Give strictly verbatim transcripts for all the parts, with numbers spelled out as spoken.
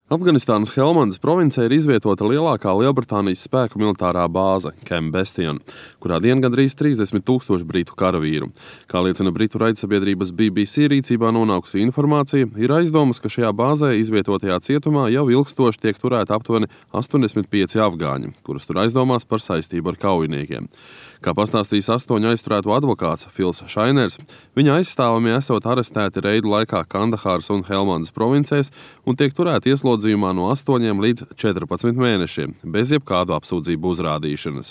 Afganistānas Helmandas provincē ir izvietota lielākā Lielbritānijas spēku militārā bāze Camp Bastion, kurā dien gandrīz trīsdesmit tūkstoši britu karavīru. Kā liecina britu raidsabiedrības B B C rīcībā nonākusi informācija, ir aizdomas, ka šajā bāzē izvietotajā cietumā jau ilgstoši tiek turēti aptuveni astoņdesmit pieci afgāņi, kurus tur aizdomās par saistību ar kaujiniekiem. Kā pastāstījis astoņu aizturēto advokāts Fils Šainers, viņa aizstāvamie esot arestēti reidu laikā Kandahāras un Helmandas provincēs un tiek turēti ieslodzījumā no astoņiem līdz četrpadsmit mēnešiem, bez jebkādu apsūdzību uzrādīšanas.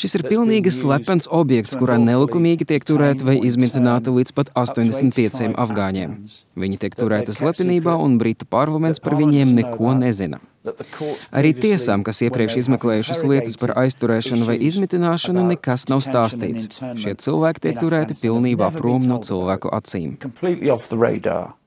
Šis ir pilnīgi slepens objekts, kurā nelikumīgi tiek turēti vai izmitināti līdz pat astoņdesmit pieciem afgāņiem. Viņi tiek turēti slepenībā un britu parlaments par viņiem neko nezina. Arī tiesām, kas iepriekš izmeklējušas lietas par aizturēšanu vai izmitināšanu, nekas nav stāstīts. Šie cilvēki tiek turēti pilnībā prom no cilvēku acīm.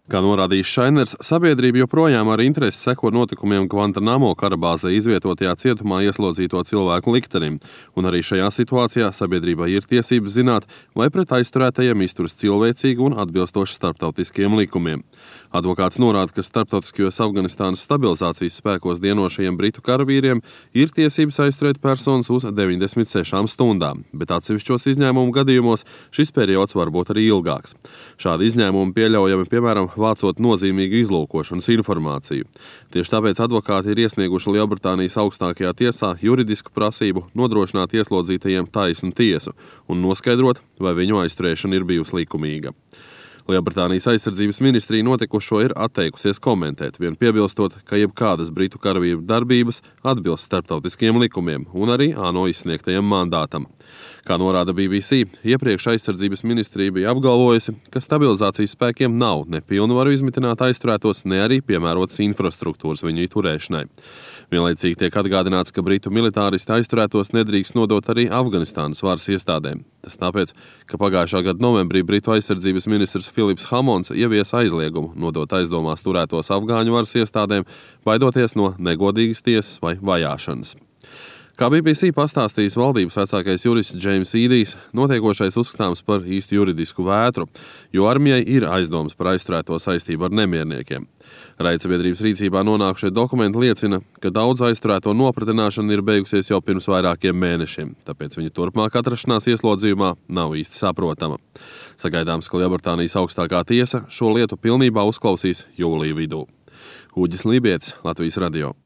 Kā norādījis Šainers, sabiedrība joprojām ar interesi seko notikumiem Guantanamo karabāzē izvietotajā cietumā ieslodzīto cilvēku liktenim, un arī šajā situācijā sabiedrībai ir tiesības zināt, vai pret aizturētajiem izturas cilvēcīgi un atbilstoši starptautiskiem likumiem. Advokāts norāda, ka starptautiskajos Afganistānas stabilizācijas spēkos dienošajiem britu karavīriem ir tiesības aizturēt personas uz deviņdesmit sešām stundām, bet atsevišķos izņēmumu gadījumos šis periods var būt arī ilgāks. Šādi izņēmumi pieļaujami, piemēram, vācot nozīmīgu izlūkošanas informāciju. Tieši tāpēc advokāti ir iesnieguši Lielbritānijas augstākajā tiesā juridisku prasību nodrošināt ieslodzītajiem taisnu tiesu un noskaidrot, vai viņu aizturēšana ir bijusi likumīga. Lielbritānijas aizsardzības ministrija notikušo ir atteikusies komentēt, vien piebilstot, ka jebkādas britu karavīru darbības atbilst starptautiskiem likumiem un arī ANO izsniegtajam mandātam. Kā norāda B B C, iepriekš aizsardzības ministrija bija apgalvojusi, ka stabilizācijas spēkiem nav ne pilnvaru izmitināt aizturētos, ne arī piemērotas infrastruktūras viņu turēšanai. Vienlaicīgi tiek atgādināts, ka britu militāristi aizturētos nedrīkst nodot arī Afganistānas varas iestādēm. Tas tāpēc, ka pagājušā gada novembrī britu aizsardzības ministrs Filips Hamons ieviesa aizliegumu nodot aizdomās turētos afgāņu varas iestādēm, baidoties no negodīgas tiesas vai vajāšanas. Kā B B C pastāstījis valdības vecākais jurists Džeims Īdijs, notiekošais uzskatāms par īstu juridisku vētru, jo armijai ir aizdomas par aizturēto saistību ar nemierniekiem. Raidsabiedrības rīcībā nonākušie dokumenti liecina, ka daudz aizturēto nopratināšana ir beigusies jau pirms vairākiem mēnešiem, tāpēc viņa turpmāk atrašanās ieslodzījumā nav īsti saprotama. Sagaidāms, ka Lielbritānijas augstākā tiesa šo lietu pilnībā uzklausīs jūlija vidū. Uģis Lībietis, Latvijas radio.